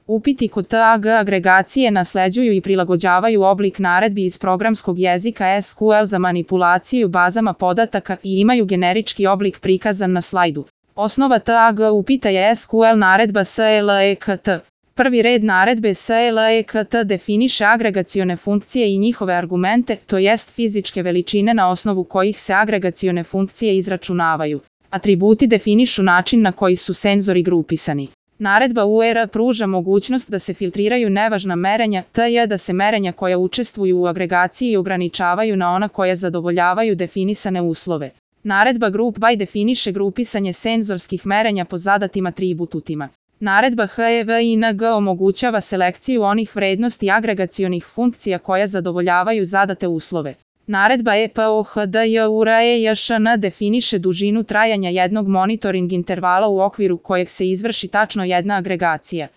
Upiti kod TAG agregacije nasleđuju i prilagođavaju oblik naredbi iz programskog jezika SQL za manipulaciju bazama podataka i imaju generički oblik prikazan na slajdu. Osnova TAG upita je SQL naredba SLEKT. Prvi red naredbe SLEKT definiše agregacione funkcije i njihove argumente, to jest fizičke veličine na osnovu kojih se agregacione funkcije izračunavaju. Atributi definišu način na koji su senzori grupisani. Naredba UR pruža mogućnost da se filtriraju nevažna merenja, tj. da se merenja koja učestvuju u agregaciji ograničavaju na ona koja zadovoljavaju definisane uslove. Naredba Group by definiše grupisanje senzorskih merenja po zadatim atributima. Naredba HEVING omogućava selekciju onih vrednosti agregacionih funkcija koja zadovoljavaju zadate uslove. Naredba EPOHDJUREJŠN definiše dužinu trajanja jednog monitoring intervala u okviru kojeg se izvrši tačno jedna agregacija.